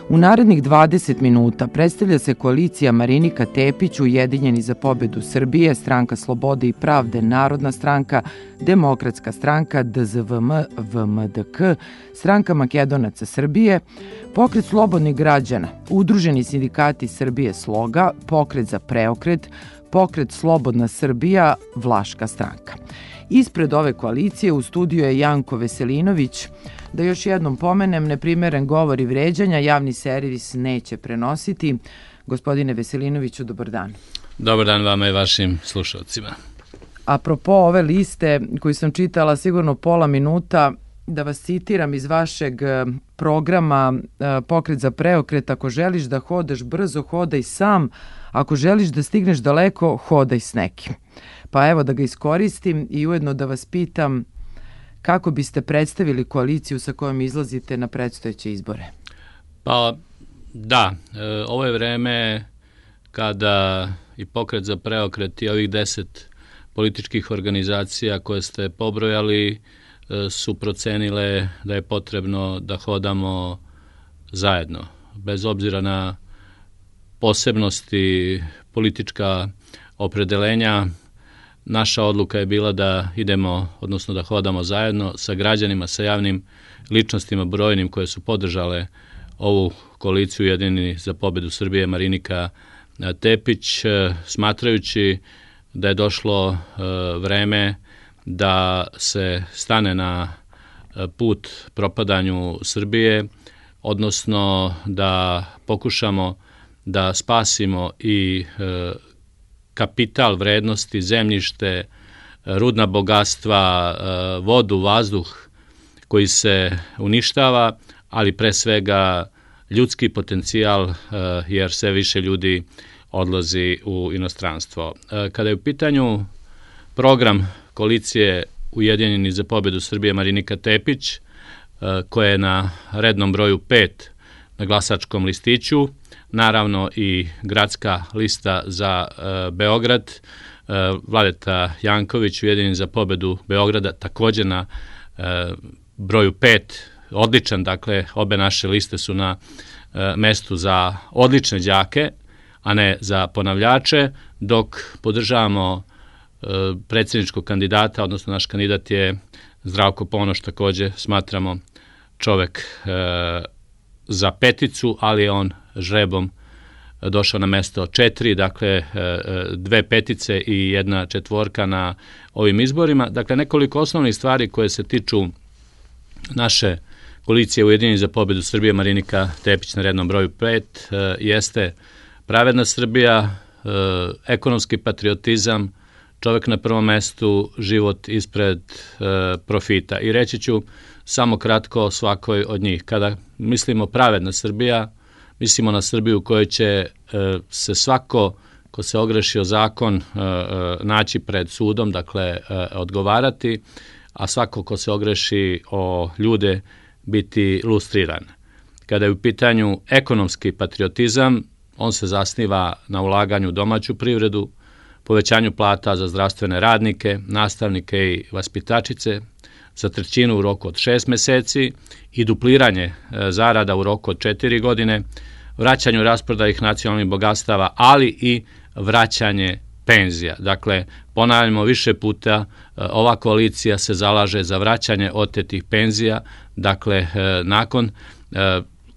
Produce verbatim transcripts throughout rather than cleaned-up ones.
U narednih dvadeset minuta predstavlja se koalicija Marinika Tepić, Ujedinjeni za pobedu Srbije, Stranka slobode i pravde, Narodna stranka, Demokratska stranka, D Z V M V M D K, Stranka Makedonaca Srbije, Pokret slobodnih građana, Udruženi sindikati Srbije Sloga, Pokret za preokret, Pokret Slobodna Srbija, Vlaška stranka. Ispred ove koalicije u studiju je Janko Veselinović. Da još jednom pomenem, neprimeren govor i vređanja javni servis neće prenositi. Gospodine Veselinoviću, dobar dan. Dobar dan vama i vašim slušalcima. Apropo ove liste koju sam čitala sigurno pola minuta, da vas citiram iz vašeg programa Pokret za preokret: ako želiš da hodaš brzo, hodaj sam, ako želiš da stigneš daleko, hodaj s nekim. Pa evo da ga iskoristim i ujedno da vas pitam kako biste predstavili koaliciju sa kojom izlazite na predstojeće izbore? Pa da, ovo je vreme kada i Pokret za preokret i ovih deset političkih organizacija koje ste pobrojali su procenile da je potrebno da hodamo zajedno, bez obzira na posebnosti, politička opredelenja. Naša odluka je bila da idemo, odnosno da hodamo zajedno sa građanima, sa javnim ličnostima brojnim koje su podržale ovu koaliciju Ujedinjeni za pobedu Srbije Marinika Tepić, smatrajući da je došlo vreme da se stane na put propadanju Srbije, odnosno da pokušamo da spasimo i kapital, vrednosti, zemljište, rudna bogatstva, vodu, vazduh koji se uništava, ali pre svega ljudski potencijal, jer sve više ljudi odlazi u inostranstvo. Kada je u pitanju program koalicije Ujedinjeni za pobedu Srbije Marinika Tepić, koja je na rednom broju pet na glasačkom listiću, naravno i gradska lista za e, Beograd, e, Vladeta Janković, Ujedinjeni za pobedu Beograda, također na e, broju pet, odličan, dakle, obe naše liste su na e, mestu za odlične đake, a ne za ponavljače, dok podržavamo e, predsjedničkog kandidata, odnosno naš kandidat je Zdravko Ponoš, također smatramo čovek e, za peticu, ali je on žrebom došao na mesto četiri, dakle dve petice i jedna četvorka na ovim izborima. Dakle, nekoliko osnovnih stvari koje se tiču naše koalicije Ujedinjeni za pobedu Srbije Marinika Tepić na rednom broju pet jeste pravedna Srbija, ekonomski patriotizam, čovek na prvom mestu, život ispred profita. I reći ću samo kratko o svakoj od njih. Kada mislimo pravedna Srbija, mislimo na Srbiju u kojoj će e, se svako ko se ogreši o zakon e, e, naći pred sudom, dakle e, odgovarati, a svako ko se ogreši o ljude biti lustriran. Kada je u pitanju ekonomski patriotizam, on se zasniva na ulaganju u domaću privredu, povećanju plata za zdravstvene radnike, nastavnike i vaspitačice, za trećinu u roku od šest meseci i dupliranje zarada u roku od četiri godine, vraćanju rasprodajih nacionalnih bogatstava, ali i vraćanje penzija. Dakle, ponavljamo više puta, ova koalicija se zalaže za vraćanje otetih penzija, dakle, nakon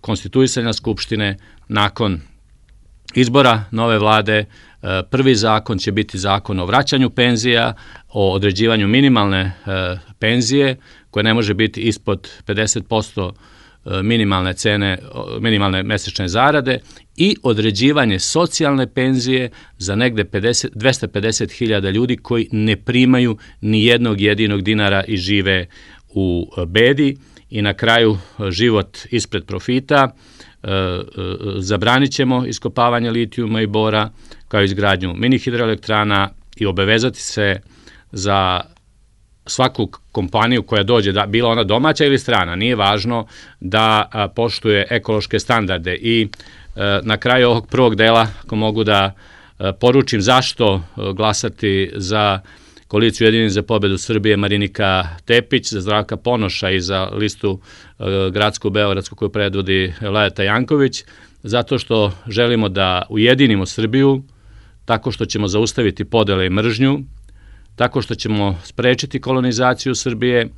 konstituisanja Skupštine, nakon izbora nove vlade, prvi zakon će biti zakon o vraćanju penzija, o određivanju minimalne penzije, koja ne može biti ispod pedeset posto minimalne cene, minimalne mesečne zarade, i određivanje socijalne penzije za negde dvesta pedeset hiljada ljudi koji ne primaju ni jednog jedinog dinara i žive u bedi. I na kraju, život ispred profita. Zabranit ćemo iskopavanje litijuma i bora, kao izgradnju mini hidroelektrana, i obavezati se za svaku kompaniju koja dođe, da, bila ona domaća ili strana, nije važno, da a, poštuje ekološke standarde. I a, na kraju ovog prvog dela, ako mogu da a, poručim zašto a, glasati za koaliciju Ujedinjeni za pobedu Srbije Marinika Tepić, za Zdravka Ponoša i za listu gradsku beogradsku koju predvodi Lajeta Janković, zato što želimo da ujedinimo Srbiju tako što ćemo zaustaviti podele i mržnju, tako što ćemo sprečiti kolonizaciju Srbije,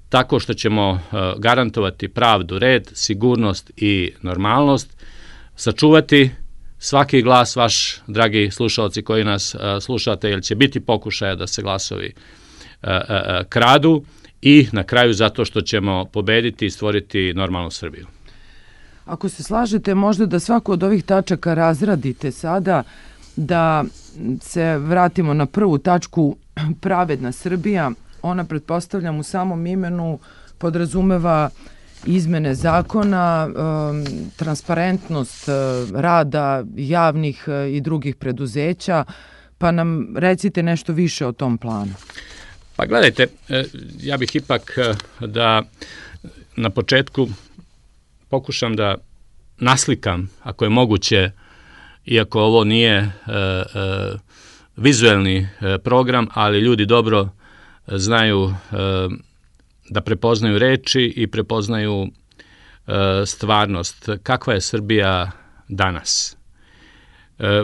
tako što ćemo garantovati pravdu, red, sigurnost i normalnost, sačuvati svaki glas vaš, dragi slušalci koji nas slušate, jer će biti pokušaja da se glasovi kradu i na kraju zato što ćemo pobediti i stvoriti normalnu Srbiju. Ako se slažete, možda da svaku od ovih tačaka razradite sada, da se vratimo na prvu tačku, pravedna Srbija. Ona, pretpostavljam, u samom imenu podrazumeva izmene zakona, transparentnost rada javnih i drugih preduzeća, pa nam recite nešto više o tom planu. Pa gledajte, ja bih ipak da na početku pokušam da naslikam, ako je moguće, iako ovo nije e, e, vizuelni program, ali ljudi dobro znaju e, da prepoznaju reči i prepoznaju e, stvarnost. Kakva je Srbija danas? E,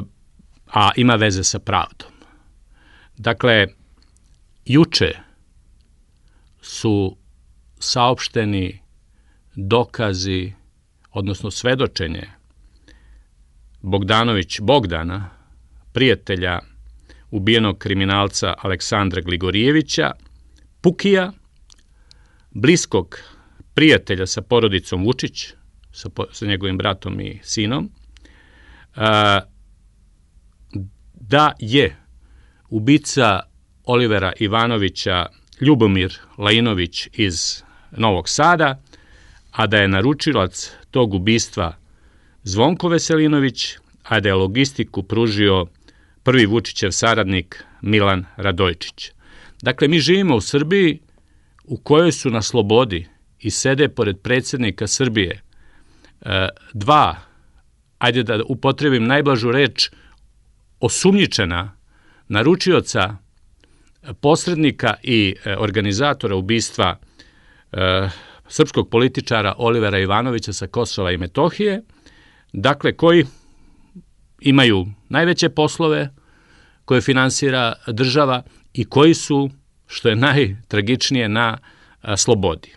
a ima veze sa pravdom. Dakle, juče su saopšteni dokazi, odnosno svedočenje Bogdanović Bogdana, prijatelja ubijenog kriminalca Aleksandra Gligorijevića, Pukija, bliskog prijatelja sa porodicom Vučić, sa, sa njegovim bratom i sinom, a, da je ubica Olivera Ivanovića Ljubomir Lajinović iz Novog Sada, a da je naručilac tog ubistva Zvonko Veselinović, a da je logistiku pružio prvi Vučićev saradnik Milan Radojčić. Dakle, mi živimo u Srbiji u kojoj su na slobodi i sede pored predsjednika Srbije dva, ajde da upotrebim najblažu reč, osumnjičena naručioca, posrednika i organizatora ubistva srpskog političara Olivera Ivanovića sa Kosova i Metohije, dakle, koji imaju najveće poslove, koje finansira država i koji su, što je najtragičnije, na a, slobodi.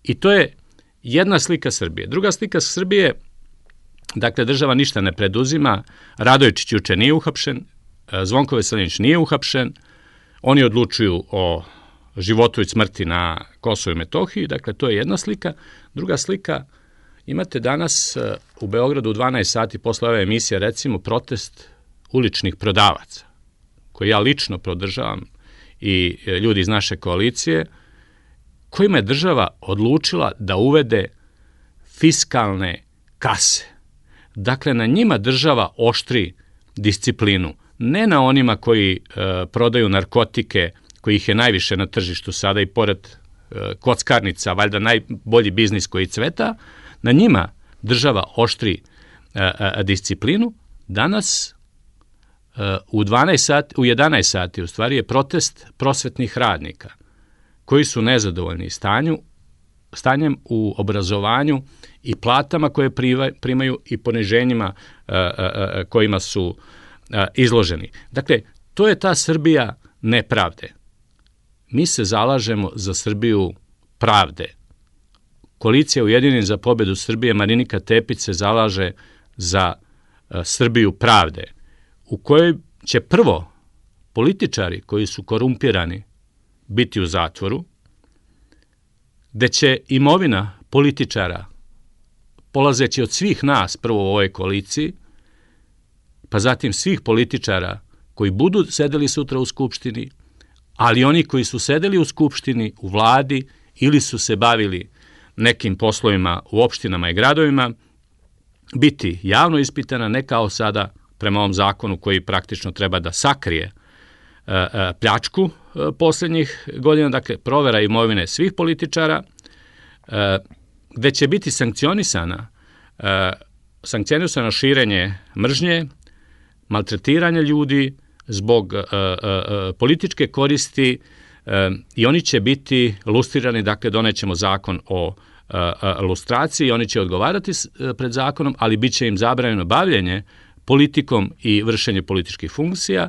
I to je jedna slika Srbije. Druga slika Srbije, dakle, država ništa ne preduzima, Radojčić juče nije uhapšen, Zvonko Veselinović nije uhapšen, oni odlučuju o životu i smrti na Kosovu i Metohiji, dakle, to je jedna slika. Druga slika, imate danas u Beogradu u dvanaest sati posle ove emisije, recimo, protest uličnih prodavaca, koji ja lično podržavam i ljudi iz naše koalicije, kojima je država odlučila da uvede fiskalne kase. Dakle, na njima država oštri disciplinu, ne na onima koji e, prodaju narkotike, kojih je najviše na tržištu sada i pored e, kockarnica, valjda najbolji biznis koji cveta, na njima država oštri e, e, disciplinu. Danas e, u, dvanaest sati, u jedanaest sati u stvari je protest prosvetnih radnika koji su nezadovoljni stanju, stanjem u obrazovanju i platama koje primaju i poniženjima e, e, kojima su e, izloženi. Dakle, to je ta Srbija nepravde. Mi se zalažemo za Srbiju pravde. Koalicija Ujedinjeni za pobedu Srbije Marinika Tepić se zalaže za uh, Srbiju pravde, u kojoj će prvo političari koji su korumpirani biti u zatvoru, gde će imovina političara, polazeći od svih nas prvo u ovoj koaliciji, pa zatim svih političara koji budu sedeli sutra u Skupštini, ali oni koji su sedeli u Skupštini, u vladi ili su se bavili nekim poslovima u opštinama i gradovima, biti javno ispitana, ne kao sada prema ovom zakonu koji praktično treba da sakrije e, e, pljačku e, posljednjih godina, dakle provera imovine svih političara, e, gde će biti sankcionisana, e, sankcionisano širenje mržnje, maltretiranje ljudi, zbog uh, uh, političke koristi uh, i oni će biti lustrirani, dakle donećemo zakon o uh, uh, lustraciji, oni će odgovarati uh, pred zakonom, ali bit će im zabranjeno bavljenje politikom i vršenje političkih funkcija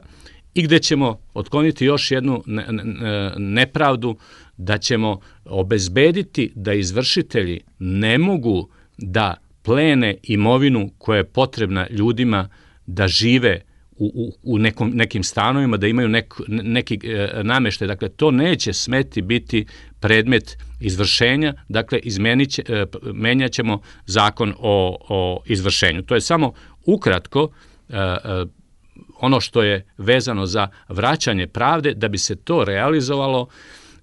i gde ćemo otkloniti još jednu ne, ne, nepravdu, da ćemo obezbediti da izvršitelji ne mogu da plene imovinu koja je potrebna ljudima da žive u, u, u nekom, nekim stanovima, da imaju nek, neki e, nameštaj. Dakle, to neće smeti biti predmet izvršenja, dakle, izmenit će, e, menjat ćemo zakon o, o izvršenju. To je samo ukratko e, e, ono što je vezano za vraćanje pravde. Da bi se to realizovalo,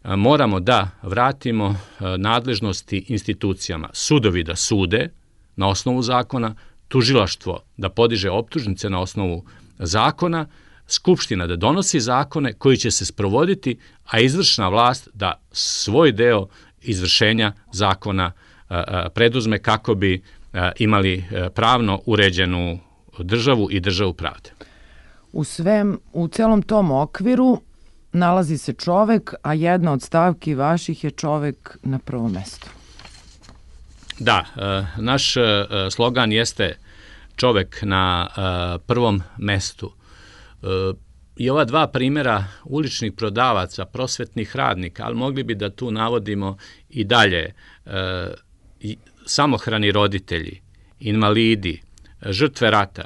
e, moramo da vratimo e, nadležnosti institucijama, sudovi da sude na osnovu zakona, tužilaštvo da podiže optužnice na osnovu zakona, Skupština da donosi zakone koji će se sprovoditi, a izvršna vlast da svoj deo izvršenja zakona a, a, preduzme kako bi a, imali a, pravno uređenu državu i državu pravde. U svem, u celom tom okviru nalazi se čovek, a jedna od stavki vaših je čovek na prvom mestu. Da, naš slogan jeste čovek na prvom mestu. I ova dva primjera uličnih prodavaca, prosvetnih radnika, ali mogli bi da tu navodimo i dalje, samohrani roditelji, invalidi, žrtve rata,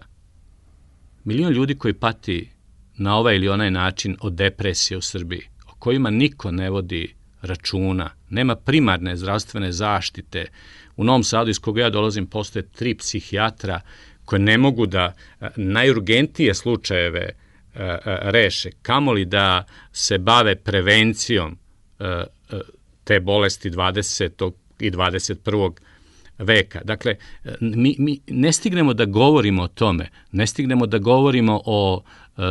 milion ljudi koji pati na ovaj ili onaj način od depresije u Srbiji, o kojima niko ne vodi računa, nema primarne zdravstvene zaštite. U Novom Sadu, iz koga ja dolazim, postoje tri psihijatra koje ne mogu da najurgentije slučajeve reše, kamoli da se bave prevencijom te bolesti dvadesetog i dvadeset prvog veka. Dakle, mi, mi ne stignemo da govorimo o tome, ne stignemo da govorimo o e,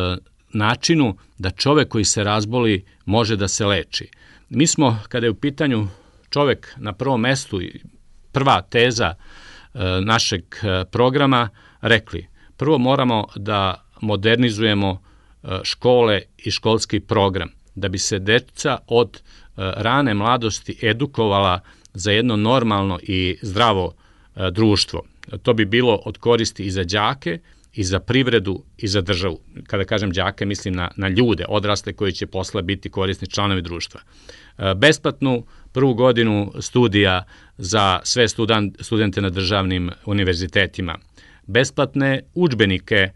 načinu da čovek koji se razboli može da se leči. Mi smo, kada je u pitanju čovek na prvom mestu, prva teza e, našeg programa, rekli, prvo moramo da modernizujemo e, škole i školski program, da bi se deca od e, rane mladosti edukovala za jedno normalno i zdravo e, društvo. To bi bilo od koristi i za đake, i za privredu, i za državu. Kada kažem đake, mislim na, na ljude, odrasle koji će posle biti korisni članovi društva. E, besplatnu prvu godinu studija za sve student, studente na državnim univerzitetima. Besplatne udžbenike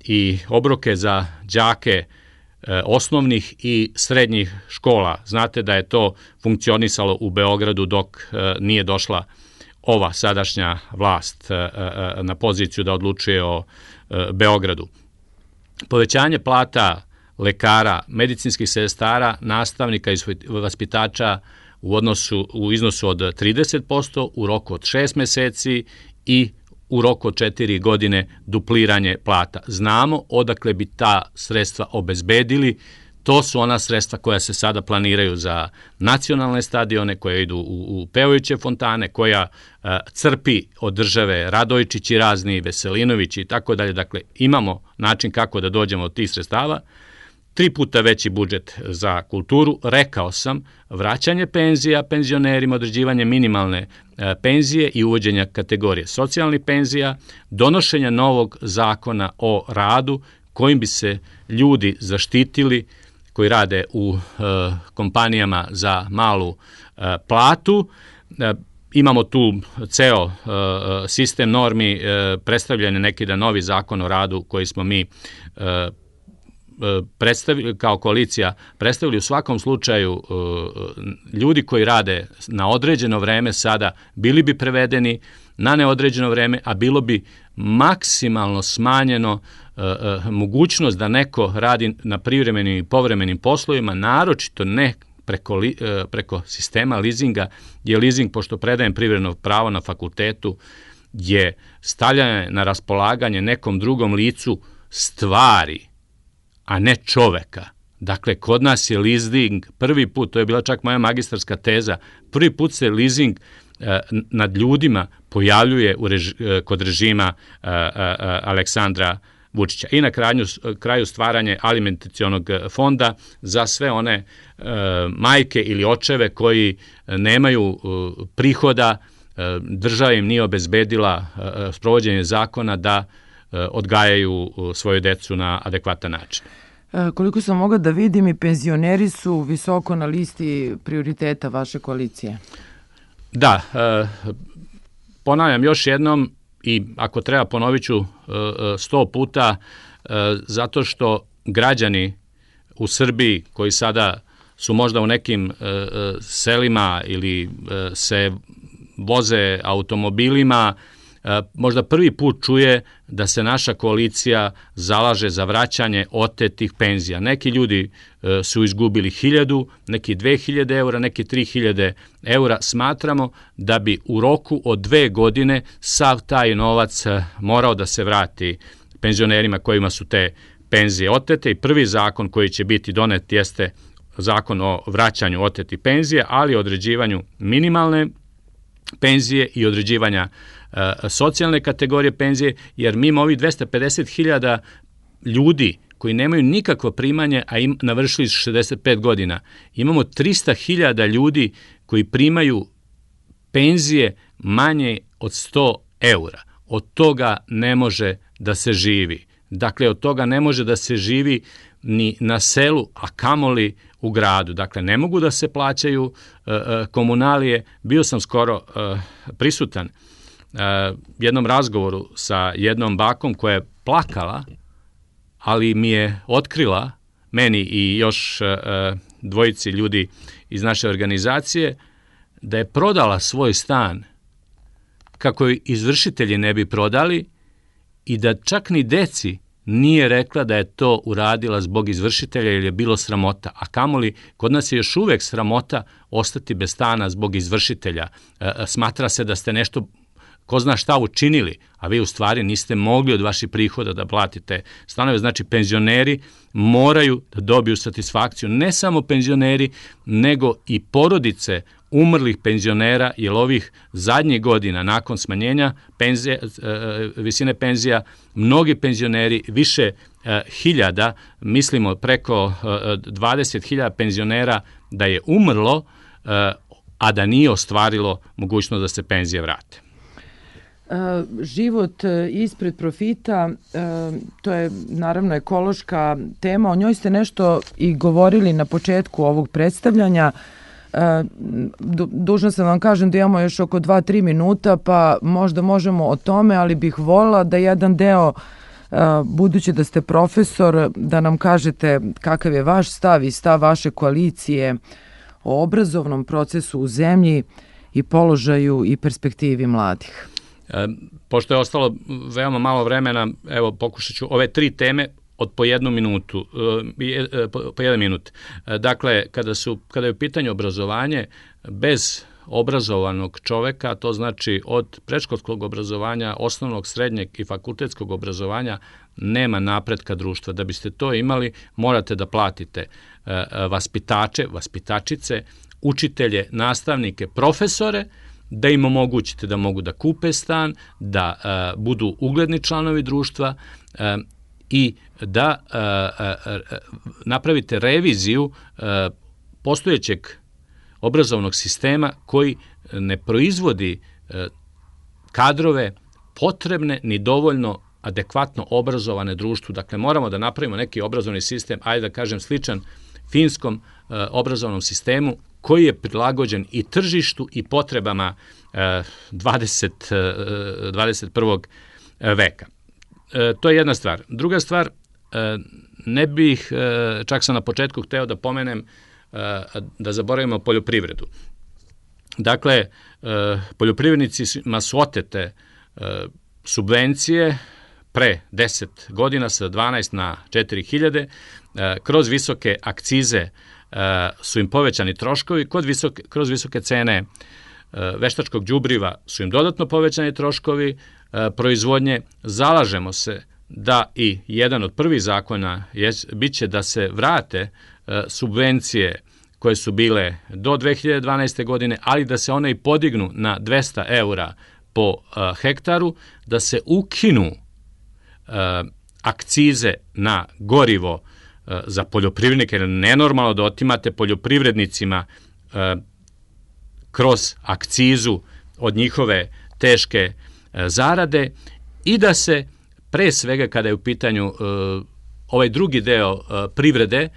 i obroke za đake osnovnih i srednjih škola. Znate da je to funkcionisalo u Beogradu dok nije došla ova sadašnja vlast na poziciju da odlučuje o Beogradu. Povećanje plata lekara, medicinskih sestara, nastavnika i vaspitača u odnosu u iznosu od trideset posto u roku od šest meseci i u roku od četiri godine dupliranje plata. Znamo odakle bi ta sredstva obezbedili. To su ona sredstva koja se sada planiraju za nacionalne stadione, koje idu u, u pevajuće fontane, koja uh, crpi od države Radojčići razni, Veselinovići i tako dalje. Dakle, imamo način kako da dođemo od tih sredstava. Tri puta veći budžet za kulturu, rekao sam, vraćanje penzija penzionerima, određivanje minimalne e, penzije i uvođenja kategorije socijalnih penzija, donošenja novog zakona o radu kojim bi se ljudi zaštitili koji rade u e, kompanijama za malu e, platu. E, imamo tu ceo e, sistem normi, e, predstavljen je neki da novi zakon o radu koji smo mi e, predstavili, kao koalicija predstavili. U svakom slučaju ljudi koji rade na određeno vreme sada bili bi prevedeni na neodređeno vreme, a bilo bi maksimalno smanjeno mogućnost da neko radi na privremenim i povremenim poslovima, naročito ne preko, li, preko sistema leasinga, je leasing, pošto predajem privredno pravo na fakultetu, je stavljanje na raspolaganje nekom drugom licu stvari, a ne čoveka. Dakle, kod nas je leasing prvi put, to je bila čak moja magistarska teza, prvi put se leasing e, nad ljudima pojavljuje u reži, e, kod režima e, e, Aleksandra Vučića. I na kraju, kraju stvaranje alimentacionog fonda za sve one e, majke ili očeve koji nemaju e, prihoda, e, država im nije obezbedila e, sprovođenje zakona da e, odgajaju svoju decu na adekvatan način. E, koliko sam mogla da vidim, i penzioneri su visoko na listi prioriteta vaše koalicije. Da, e, ponavljam još jednom, i ako treba ponovit ću sto puta, zato što građani u Srbiji koji sada su možda u nekim selima ili se voze automobilima, možda prvi put čuje da se naša koalicija zalaže za vraćanje otetih penzija. Neki ljudi su izgubili hiljadu, neki dve hiljade eura, neki tri hiljade eura. Smatramo da bi u roku od dve godine sav taj novac morao da se vrati penzionerima kojima su te penzije otete, i prvi zakon koji će biti donet jeste zakon o vraćanju otetih penzija, ali i određivanju minimalne penzije i određivanja e, socijalne kategorije penzije, jer mimo ovih dvesta pedeset hiljada ljudi koji nemaju nikakvo primanje, a im navršili su šezdeset pet godina, imamo trista hiljada ljudi koji primaju penzije manje od sto eura. Od toga ne može da se živi. Dakle, od toga ne može da se živi ni na selu, a kamoli u gradu. Dakle, ne mogu da se plaćaju uh, komunalije. Bio sam skoro uh, prisutan uh, jednom razgovoru sa jednom bakom koja je plakala, ali mi je otkrila, meni i još uh, dvojici ljudi iz naše organizacije, da je prodala svoj stan kako joj izvršitelji ne bi prodali i da čak ni deci nije rekla da je to uradila zbog izvršitelja ili je bilo sramota, a kamoli kod nas je još uvek sramota ostati bez stana zbog izvršitelja. E, smatra se da ste nešto, ko zna šta, učinili, a vi u stvari niste mogli od vaših prihoda da platite stanove. Znači, penzioneri moraju da dobiju satisfakciju, ne samo penzioneri, nego i porodice umrlih penzionera, jer ovih zadnjih godina nakon smanjenja penzije, visine penzija, mnogi penzioneri, više hiljada, mislimo preko dvadeset hiljada penzionera da je umrlo, a da nije ostvarilo mogućnost da se penzije vrate. Život ispred profita, to je naravno ekološka tema, o njoj ste nešto i govorili na početku ovog predstavljanja. Dužna sam vam kažem da imamo još oko dva do tri minuta, pa možda možemo o tome, ali bih volila da jedan deo, budući da ste profesor, da nam kažete kakav je vaš stav i stav vaše koalicije o obrazovnom procesu u zemlji i položaju i perspektivi mladih. E, pošto je ostalo veoma malo vremena, evo pokušat ću ove tri teme od po jednu minutu, e, po, po jedan minut. E, dakle, kada, su, kada je u pitanju obrazovanje, bez obrazovanog čoveka, to znači od predškolskog obrazovanja, osnovnog, srednjeg i fakultetskog obrazovanja, nema napretka društva. Da biste to imali, morate da platite e, vaspitače, vaspitačice, učitelje, nastavnike, profesore, da im omogućite da mogu da kupe stan, da e, budu ugledni članovi društva e, i da e, e, napravite reviziju e, postojećeg obrazovnog sistema koji ne proizvodi e, kadrove potrebne ni dovoljno adekvatno obrazovane društvu. Dakle, moramo da napravimo neki obrazovni sistem, ajde da kažem sličan finskom e, obrazovnom sistemu, koji je prilagođen i tržištu i potrebama e, dvadeset, dvadeset prvog veka. E, to je jedna stvar. Druga stvar, e, ne bih, e, čak sam na početku hteo da pomenem, e, da zaboravimo poljoprivredu. Dakle, e, poljoprivrednicima su otete e, subvencije pre deset godina sa dvanaest na četiri hiljade, e, kroz visoke akcize su im povećani troškovi, kod visoke, kroz visoke cene veštačkog đubriva su im dodatno povećani troškovi proizvodnje. Zalažemo se da i jedan od prvih zakona je, bit će da se vrate subvencije koje su bile do dve hiljade dvanaeste. godine, ali da se one i podignu na dvesta eura po hektaru, da se ukinu akcize na gorivo za poljoprivrednike, jer nenormalno da otimate poljoprivrednicima kroz akcizu od njihove teške zarade i da se pre svega kada je u pitanju ovaj drugi deo privrede,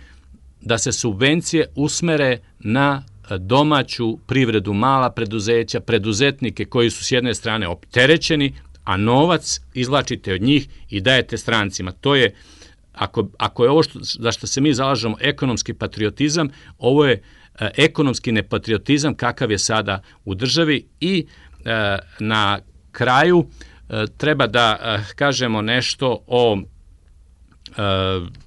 da se subvencije usmere na domaću privredu, mala preduzeća, preduzetnike koji su s jedne strane opterećeni, a novac izvlačite od njih i dajete strancima. To je, ako, ako je ovo što, za što se mi zalažemo ekonomski patriotizam, ovo je e, ekonomski nepatriotizam kakav je sada u državi i e, na kraju e, treba da e, kažemo nešto o e,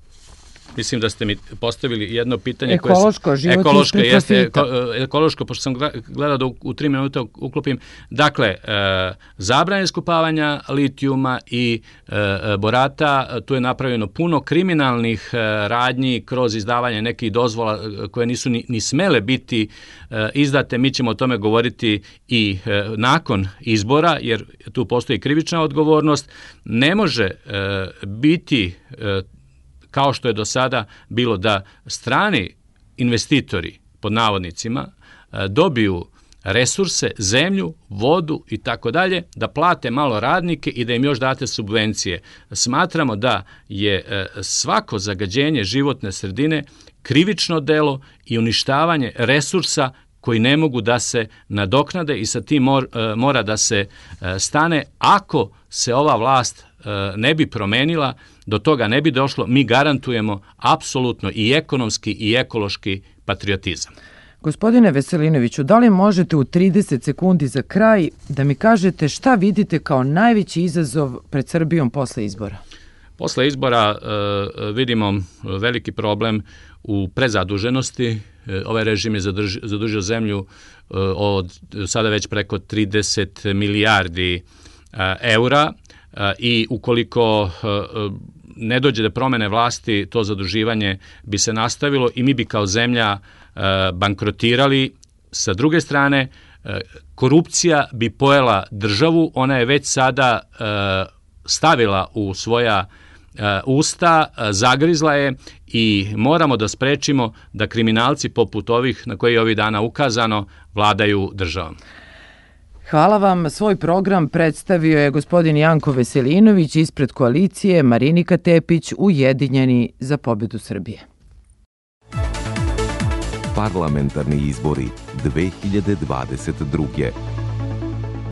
mislim da ste mi postavili jedno pitanje ekološko, koje život ekološko ispred jeste profita. ekološko, pošto sam gledao da u, u tri minuta uklopim. Dakle, e, zabrana iskopavanja litijuma i e, borata, tu je napravljeno puno kriminalnih e, radnji kroz izdavanje nekih dozvola koje nisu ni, ni smele biti e, izdate. Mi ćemo o tome govoriti i e, nakon izbora, jer tu postoji krivična odgovornost. Ne može e, biti e, kao što je do sada bilo da strani investitori, pod navodnicima, dobiju resurse, zemlju, vodu i tako dalje, da plate malo radnike i da im još date subvencije. Smatramo da je svako zagađenje životne sredine krivično delo i uništavanje resursa koji ne mogu da se nadoknade i sa tim mora da se stane. Ako se ova vlast ne bi promenila, do toga ne bi došlo, mi garantujemo apsolutno i ekonomski i ekološki patriotizam. Gospodine Veselinoviću, da li možete u trideset sekundi za kraj da mi kažete šta vidite kao najveći izazov pred Srbijom posle izbora? Posle izbora e, vidimo veliki problem u prezaduženosti. E, ovaj režim je zadrži, zadužio zemlju e, od sada već preko trideset milijardi e, eura e, i ukoliko e, ne dođe do promene vlasti, to zaduživanje bi se nastavilo i mi bi kao zemlja e, bankrotirali. Sa druge strane, e, korupcija bi pojela državu, ona je već sada e, stavila u svoja e, usta, e, zagrizla je i moramo da sprečimo da kriminalci poput ovih na koje je ovih dana ukazano vladaju državom. Hvala vam. Svoj program predstavio je gospodin Janko Veselinović ispred koalicije Marinika Tepić, Ujedinjeni za pobedu Srbije. Parlamentarni izbori dve hiljade dvadeset druge.